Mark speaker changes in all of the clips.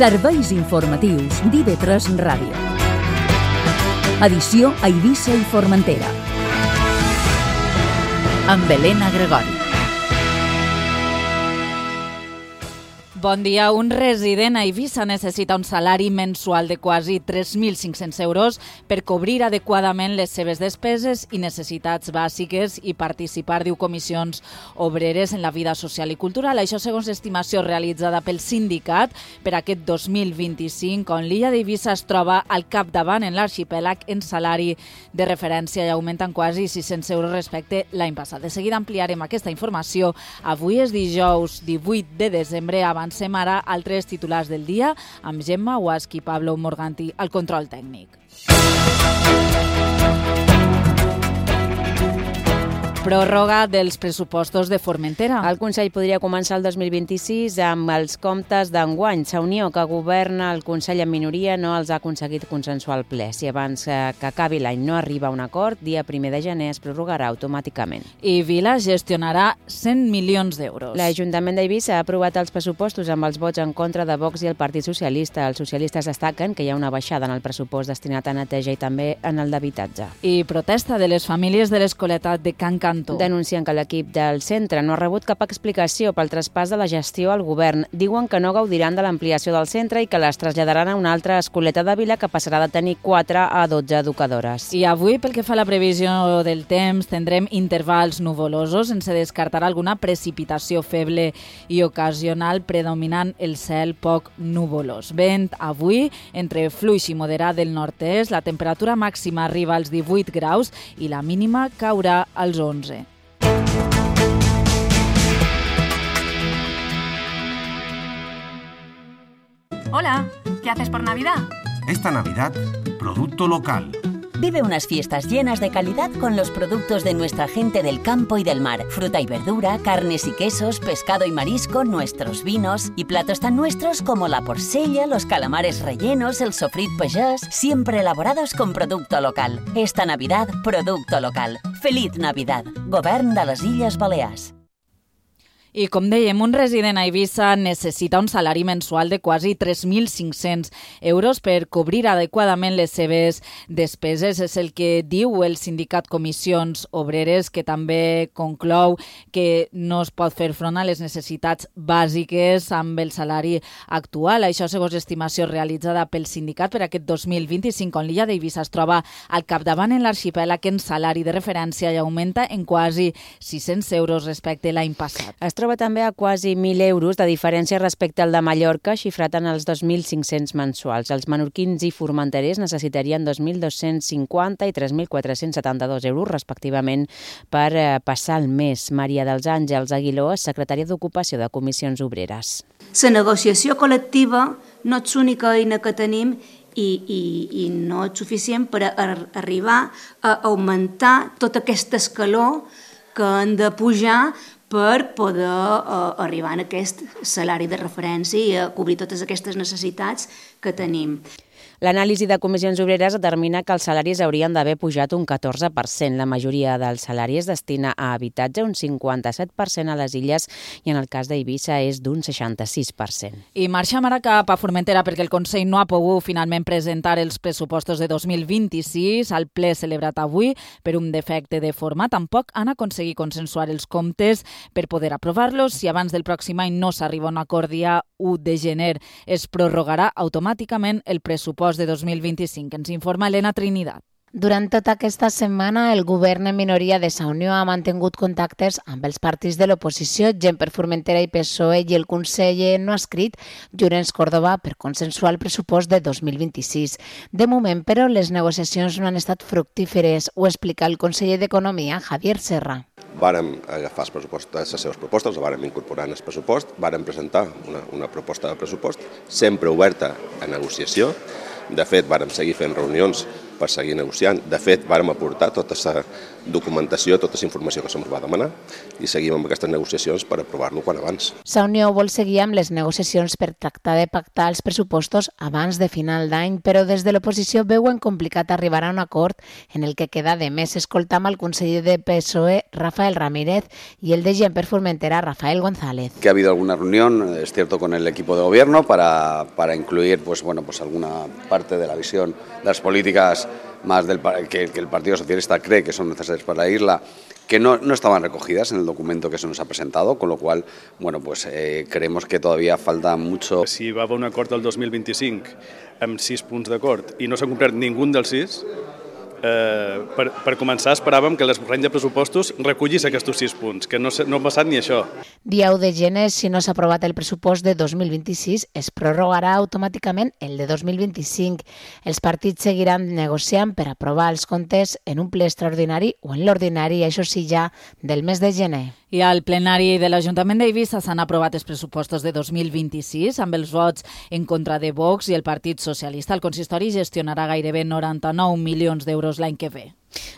Speaker 1: Serveis informatius d'IV3 Ràdio. Edició a Eivissa i Formentera. Amb Helena Gregori.
Speaker 2: Bon dia. Un resident a Eivissa necessita un salari mensual de quasi 3.500 euros per cobrir adequadament les seves despeses i necessitats bàsiques i participar, diu, comissions obreres en la vida social i cultural. Això segons estimació realitzada pel sindicat per aquest 2025, on l'illa d'Eivissa es troba al capdavant en l'arxipèlag en salari de referència i augmenten quasi 600 euros respecte l'any passat. De seguida ampliarem aquesta informació. Avui és dijous 18 de desembre. Avancem ara altres titulars del dia amb Gemma Guaschi i Pablo Morganti al control tècnic. Pròrroga dels pressupostos de Formentera.
Speaker 3: El Consell podria començar el 2026 amb els comptes d'enguany. Unió, que governa el Consell en minoria, no els ha aconseguit consensuar al ple. Si abans que acabi l'any no arriba a un acord, dia 1 de gener es prorrogarà automàticament.
Speaker 2: I Vila gestionarà 100 milions d'euros.
Speaker 3: L'Ajuntament d'Eivissa ha aprovat els pressupostos amb els vots en contra de Vox i el Partit Socialista. Els socialistes destaquen que hi ha una baixada en el pressupost destinat a neteja i també en el d'habitatge.
Speaker 2: I protesta de les famílies de l'Escoleta de Can Cantó.
Speaker 3: Denuncien que l'equip del centre no ha rebut cap explicació pel traspàs de la gestió al govern. Diuen que no gaudiran de l'ampliació del centre i que les traslladaran a una altra escoleta de Vila que passarà de tenir 4 a 12 educadores.
Speaker 2: I avui, pel que fa a la previsió del temps, tindrem intervals nuvolosos, sense descartar alguna precipitació feble i ocasional, predominant el cel poc nuvolós. Vent avui entre fluix i moderat del nord-est, la temperatura màxima arriba als 18 graus i la mínima caurà als 11.
Speaker 4: Hola, ¿qué haces por Navidad?
Speaker 5: Esta Navidad, producto local.
Speaker 6: Vive unas fiestas llenas de calidad con los productos de nuestra gente del campo y del mar. Fruta y verdura, carnes y quesos, pescado y marisco, nuestros vinos y platos tan nuestros como la porcella, los calamares rellenos, el sofrit pagès, siempre elaborados con producto local. Esta Navidad, producto local. Feliz Navidad. Govern de les Illes Balears.
Speaker 2: I com dèiem, un resident a Eivissa necessita un salari mensual de quasi 3.500 euros per cobrir adequadament les seves despeses. És el que diu el sindicat Comissions Obreres, que també conclou que no es pot fer front a les necessitats bàsiques amb el salari actual. Això segons estimació realitzada pel sindicat per aquest 2025, on l'illa d'Eivissa es troba al capdavant en l'arxipèlag en salari de referència i augmenta en quasi 600 euros respecte l'any passat.
Speaker 3: Es troba també a quasi 1.000 euros de diferència respecte al de Mallorca, xifrat en els 2.500 mensuals. Els menorquins i formenterers necessitarien 2.250 i 3.472 euros, respectivament, per passar el mes. Maria dels Àngels Aguiló, secretària d'Ocupació de Comissions Obreres.
Speaker 7: La negociació col·lectiva no és l'única eina que tenim i no és suficient per arribar a augmentar tot aquest escaló que han de pujar per poder arribar a aquest salari de referència i a cobrir totes aquestes necessitats que tenim.
Speaker 3: L'anàlisi de Comissions Obreres determina que els salaris haurien d'haver pujat un 14%. La majoria del salari es destina a habitatge, un 57% a les illes, i en el cas d'Eivissa és d'un 66%.
Speaker 2: I marxem ara cap a Formentera perquè el Consell no ha pogut finalment presentar els pressupostos de 2026 al ple celebrat avui per un defecte de forma. Tampoc han aconseguit consensuar els comptes per poder aprovar-los. Si abans del pròxim any no s'arriba a un acord dia 1 de gener, es prorrogarà automàticament el pressupost de 2025. Ens informa Elena Trinidad.
Speaker 8: Durant tota aquesta setmana, el govern en minoria de Sa Unió ha mantingut contactes amb els partits de l'oposició, gent per Formentera i PSOE, i el conseller no ha escrit Llorenç Córdoba per consensuar el pressupost de 2026. De moment, però, les negociacions no han estat fructíferes. Ho explica el conseller d'Economia, Javier Serra.
Speaker 9: Vàrem agafar les seves propostes, les vàrem incorporar en el pressupost, vàrem presentar una proposta de pressupost, sempre oberta a negociació. De fet, vàrem seguir fent reunions per seguir negociant. De fet, vàrem aportar tota aquesta documentació, tota aquesta informació que se'ns va demanar i seguim amb aquestes negociacions per aprovar-lo quan abans.
Speaker 8: Sa Unió vol seguir amb les negociacions per tractar de pactar els pressupostos abans de final d'any, però des de l'oposició veuen complicat arribar a un acord en el que queda de més. Escoltam al conseller de PSOE, Rafael Ramírez, y el de Gent per Formentera, Rafael González.
Speaker 10: Que ha habido alguna reunión, es cierto, con el equipo de gobierno para incluir pues alguna parte de la visión de las políticas más que el Partido Socialista cree que son necesarias para la isla, que no estaban recogidas en el documento que se nos ha presentado, con lo cual, creemos que todavía falta mucho.
Speaker 11: Si va haver un acord del 2025 amb 6 punts d'acord i no s'ha complert ningú dels 6, per començar esperàvem que l'esborrany de pressupostos recollís aquests 6 punts, que no ha passat ni això.
Speaker 8: Dia 1 de gener, si no s'ha aprovat el pressupost de 2026, es prorrogarà automàticament el de 2025. Els partits seguiran negociant per aprovar els comptes en un ple extraordinari o en l'ordinari, això sí ja, del mes de gener.
Speaker 2: I al plenari de l'Ajuntament d'Eivissa s'han aprovat els pressupostos de 2026 amb els vots en contra de Vox i el Partit Socialista. El consistori gestionarà gairebé 99 milions d'euros l'any que ve.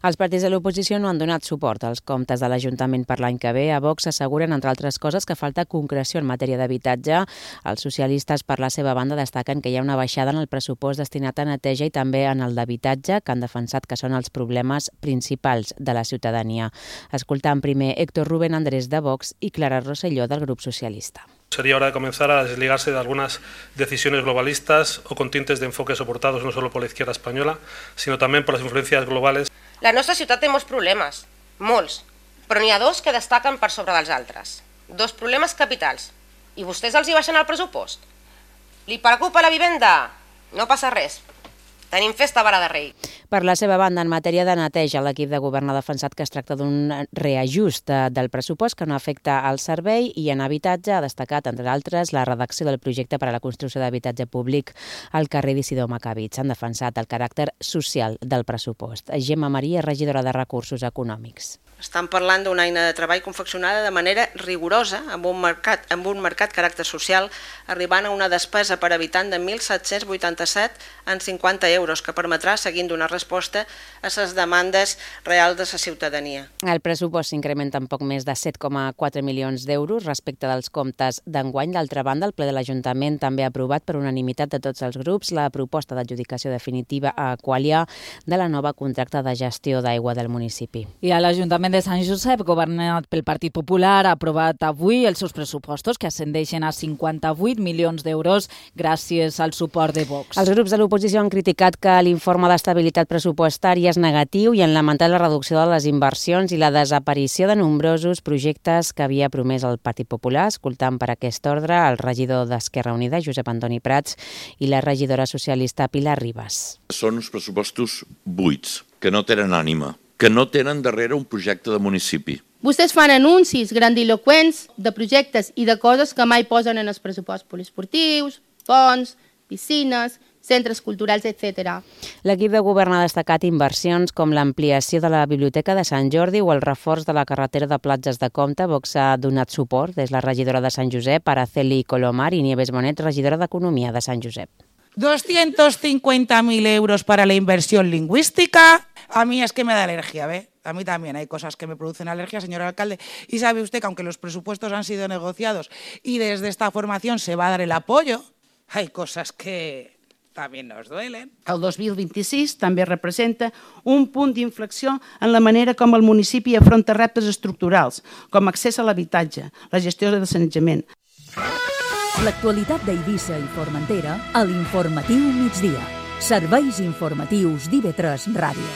Speaker 3: Els partits de l'oposició no han donat suport als comptes de l'Ajuntament per l'any que ve. A Vox asseguren, entre altres coses, que falta concreció en matèria d'habitatge. Els socialistes, per la seva banda, destaquen que hi ha una baixada en el pressupost destinat a neteja i també en el d'habitatge, que han defensat que són els problemes principals de la ciutadania. Escoltant primer Héctor Rubén Andrés de Vox y Clara Rosselló del Grupo Socialista.
Speaker 12: Sería hora de comenzar a desligarse de algunas decisiones globalistas o con tintes de enfoque soportados no solo por la izquierda española, sino también por las influencias globales.
Speaker 13: La nostra ciutat té molts problemes, molts, però n'hi ha 2 que destaquen per sobre dels altres. 2 problemes capitals, i vostès els hi baixen el pressupost. Li preocupa la vivenda? No passa res. Tenim festa a Vara de Rei.
Speaker 3: Per la seva banda, en matèria de neteja, l'equip de govern ha defensat que es tracta d'un reajust del pressupost que no afecta al servei i en habitatge ha destacat, entre altres, la redacció del projecte per a la construcció d'habitatge públic al carrer d'Isidor Macabits. Han defensat el caràcter social del pressupost. Gemma Maria, regidora de Recursos Econòmics.
Speaker 14: Estan parlant d'una eina de treball confeccionada de manera rigorosa amb un marcat caràcter social, arribant a una despesa per habitant de 1.787 en 50 euros, que permetrà seguir donar resposta a les demandes reals de la ciutadania.
Speaker 3: El pressupost s'incrementa en poc més de 7,4 milions d'euros respecte dels comptes d'enguany. D'altra banda, el ple de l'Ajuntament també ha aprovat per unanimitat de tots els grups la proposta d'adjudicació definitiva a Aqualia de la nova contracte de gestió d'aigua del municipi.
Speaker 2: I a l'Ajuntament de Sant Josep, governat pel Partit Popular, ha aprovat avui els seus pressupostos, que ascendeixen a 58 milions d'euros gràcies al suport de Vox.
Speaker 3: Els grups de l'oposició han criticat que l'informe d'estabilitat pressupostària és negatiu i han lamentat la reducció de les inversions i la desaparició de nombrosos projectes que havia promès el Partit Popular. Escoltant per aquest ordre el regidor d'Esquerra Unida, Josep Antoni Prats, i la regidora socialista Pilar Ribas.
Speaker 15: Són uns pressupostos buits, que no tenen ànima, que no tenen darrere un projecte de municipi.
Speaker 16: Vostès fan anuncis grandiloquents de projectes i de coses que mai posen en els pressuposts poliesportius, ponts, piscines, centres culturals, etc.
Speaker 3: L'equip de govern ha destacat inversions com l'ampliació de la Biblioteca de Sant Jordi o el reforç de la carretera de Platges de Comte. Vox ha donat suport des la regidora de Sant Josep, Araceli Colomar, i Nieves Bonet, regidora d'Economia de Sant Josep.
Speaker 17: 250.000 euros para la inversión lingüística. A mí es que me da alergia, ¿ve? A mí también hay cosas que me producen alergia, señor alcalde. Y sabe usted que aunque los presupuestos han sido negociados y desde esta formación se va a dar el apoyo, hay cosas que también nos duelen.
Speaker 18: El 2026 també representa un punt d'inflexió en la manera com el municipi afronta reptes estructurals, com accés a l'habitatge, la gestió del sanejament.
Speaker 1: L'actualitat d'Eivissa i Formentera a l'Informatiu Migdia. Serveis informatius d'IV3 Ràdio.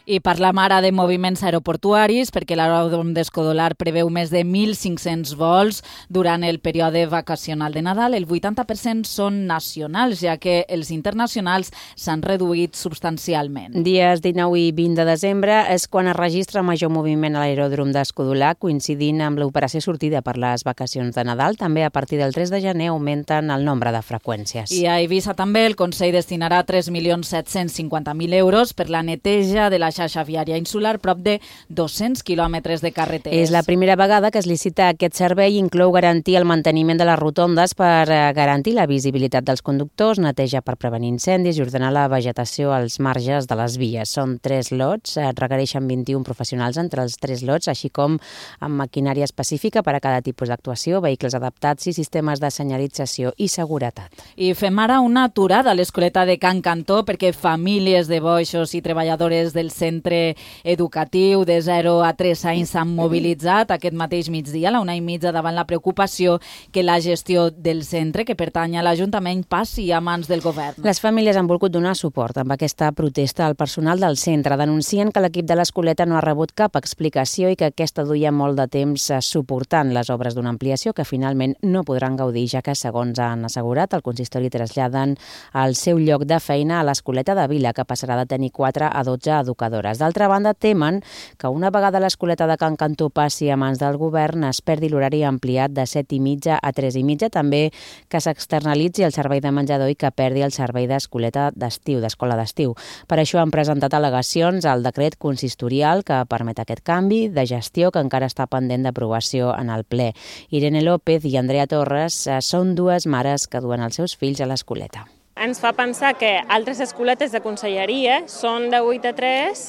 Speaker 2: I parlam ara de moviments aeroportuaris perquè l'aeròdrom d'Escodolar preveu més de 1.500 vols durant el període vacacional de Nadal. El 80% són nacionals, ja que els internacionals s'han reduït substancialment.
Speaker 3: Dies 19 i 20 de desembre és quan es registra major moviment a l'aeròdrom d'Escodolar, coincidint amb l'operació sortida per les vacacions de Nadal. També a partir del 3 de gener augmenten el nombre de freqüències.
Speaker 2: I a Eivissa també el Consell destinarà 3.750.000 euros per la neteja de la xarxa viària insular prop de 200 quilòmetres de carreteres.
Speaker 3: És la primera vegada que es licita aquest servei i inclou garantir el manteniment de les rotondes per garantir la visibilitat dels conductors, neteja per prevenir incendis i ordenar la vegetació als marges de les vies. Són 3 lots, requereixen 21 professionals entre els 3 lots, així com amb maquinària específica per a cada tipus d'actuació, vehicles adaptats i sistemes de senyalització i seguretat.
Speaker 2: I fem ara una aturada a l'escoleta de Can Cantó perquè famílies de boixos i treballadores del centre educatiu de 0 a 3 anys s'han mobilitzat aquest mateix migdia a la 1:30 davant la preocupació que la gestió del centre, que pertany a l'Ajuntament, passi a mans del govern.
Speaker 3: Les famílies han volgut donar suport amb aquesta protesta al personal del centre. Denuncien que l'equip de l'escoleta no ha rebut cap explicació i que aquesta duia molt de temps suportant les obres d'una ampliació que finalment no podran gaudir, ja que, segons han assegurat, el consistori traslladen el seu lloc de feina a l'escoleta de Vila, que passarà de tenir 4 a 12 educadores. D'altra banda, temen que una vegada l'escoleta de Can Cantó passi a mans del govern es perdi l'horari ampliat de 7:30 a 3:30, també que s'externalitzi el servei de menjador i que perdi el servei d'escoleta d'estiu, d'escola d'estiu. Per això han presentat al·legacions al decret consistorial que permet aquest canvi de gestió que encara està pendent d'aprovació en el ple. Irene López i Andrea Torres són dues mares que duen els seus fills a l'escoleta.
Speaker 19: Ens fa pensar que altres escoletes de conselleria són de 8 a 3,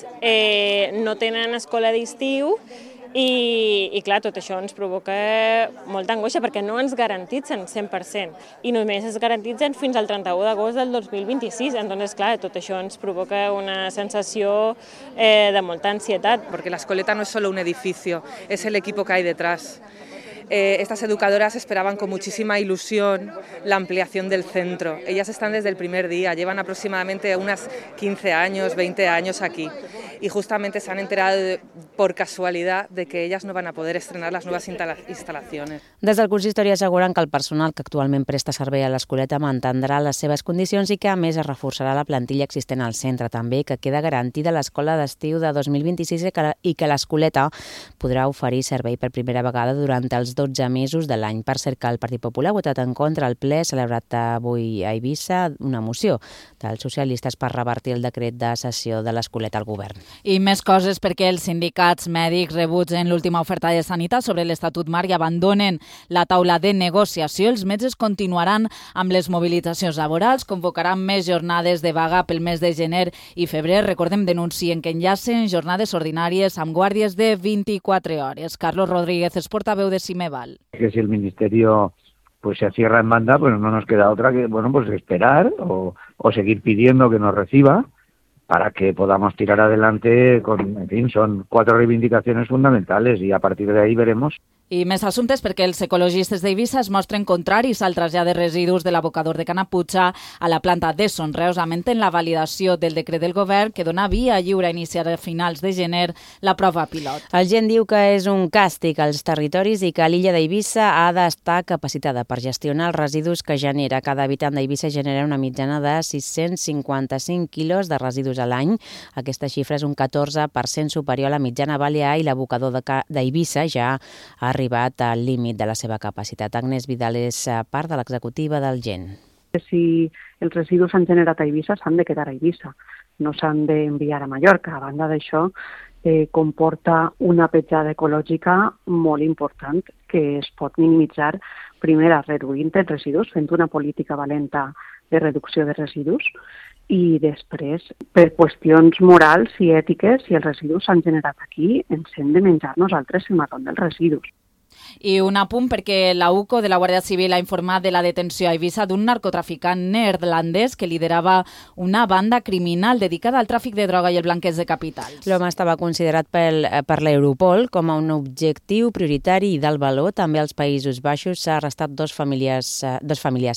Speaker 19: no tenen escola d'estiu i clar, tot això ens provoca molta angoixa perquè no ens garantitzen 100% i només es garantitzen fins al 31 d'agost del 2026. Entonces, clar, tot això ens provoca una sensació de molta ansietat.
Speaker 20: Porque la escoleta no es solo un edificio, es el equipo que hay detrás. Estas educadoras esperaban con muchísima ilusión la ampliación del centro. Ellas están desde el primer día, llevan aproximadamente unas 15 años, 20 años aquí y justamente se han enterado por casualidad de que ellas no van a poder estrenar las nuevas instalaciones.
Speaker 3: Des del consistori asseguren que el personal que actualment presta servei a l'escoleta mantindrà les seves condicions i que a més es reforçarà la plantilla existent al centre. També que queda garantida l'escola d'estiu de 2026 i que l'escoleta podrà oferir servei per primera vegada durant els 12 mesos de l'any. Per cert, que el Partit Popular ha votat en contra al ple celebrat avui a Eivissa una moció dels socialistes per revertir el decret de cessió de l'escoleta al govern.
Speaker 2: I més coses perquè els sindicats mèdics rebutgen l'última oferta de sanitat sobre l'Estatut Marc i abandonen la taula de negociació. Els metges continuaran amb les mobilitzacions laborals, convocaran més jornades de vaga pel mes de gener i febrer. Recordem, denuncien que enllacen jornades ordinàries amb guàrdies de 24 hores. Carlos Rodríguez és portaveu de Cimeval.
Speaker 21: Que si el Ministerio pues se cierra en banda, pues no nos queda otra que pues esperar o seguir pidiendo que nos reciba para que podamos tirar adelante en fin, son 4 reivindicaciones fundamentales y a partir de ahí veremos.
Speaker 2: I més assumptes perquè els ecologistes d'Eivissa es mostren contraris al trasllat de residus de l'abocador de Canaputxa a la planta de Sonreus, lamenten la validació del decret del govern que dona via lliure a iniciar a finals de gener la prova pilot.
Speaker 3: El gent diu que és un càstig als territoris i que l'illa d'Eivissa ha d'estar capacitada per gestionar els residus que genera. Cada habitant d'Eivissa genera una mitjana de 655 quilos de residus a l'any. Aquesta xifra és un 14% superior a la mitjana balear i l'abocador d'Eivissa ja ha arribat al límit de la seva capacitat. Agnès Vidal és part de l'executiva del GEN.
Speaker 22: Si els residus s'han generat a Eivissa, s'han de quedar a Eivissa, no s'han d'enviar a Mallorca. A banda d'això, comporta una petjada ecològica molt important que es pot minimitzar, primer, reduint els residus, fent una política valenta de reducció de residus, i després, per qüestions morals i ètiques, si els residus s'han generat aquí, ens hem de menjar nosaltres el marrón dels residus.
Speaker 2: I un apunt perquè la UCO de la Guàrdia Civil ha informat de la detenció a Eivissa d'un narcotraficant neerlandès que liderava una banda criminal dedicada al tràfic de droga i el blanqueig de capitals.
Speaker 3: L'home estava considerat per l'Europol com a un objectiu prioritari i d'alt valor. També als Països Baixos s'ha arrestat dos familiars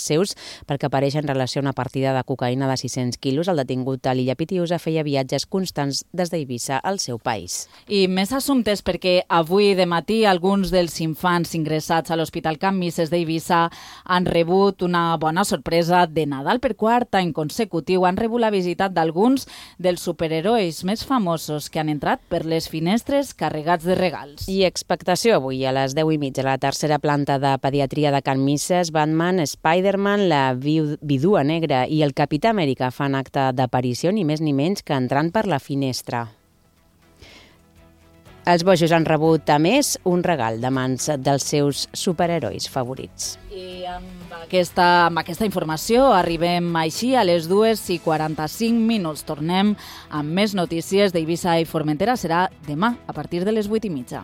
Speaker 3: seus perquè apareix en relació a una partida de cocaïna de 600 quilos. El detingut a l'illa Pitiusa feia viatges constants des d'Eivissa al seu país.
Speaker 2: I més assumptes perquè avui de matí alguns dels infants ingressats a l'Hospital Can Misses d'Eivissa han rebut una bona sorpresa de Nadal. Per quart any consecutiu han rebut la visita d'alguns dels superherois més famosos que han entrat per les finestres carregats de regals.
Speaker 3: I expectació avui a les 10:30 a la tercera planta de pediatria de Can Misses. Batman, Spider-Man, la Vidua Negra i el Capità Amèrica fan acte d'aparició ni més ni menys que entrant per la finestra. Els bojos han rebut, a més, un regal de mans dels seus superherois favorits.
Speaker 2: I amb aquesta informació arribem així a les 2:45. Tornem amb més notícies d'Eivissa i Formentera. Serà demà a partir de les 8:30.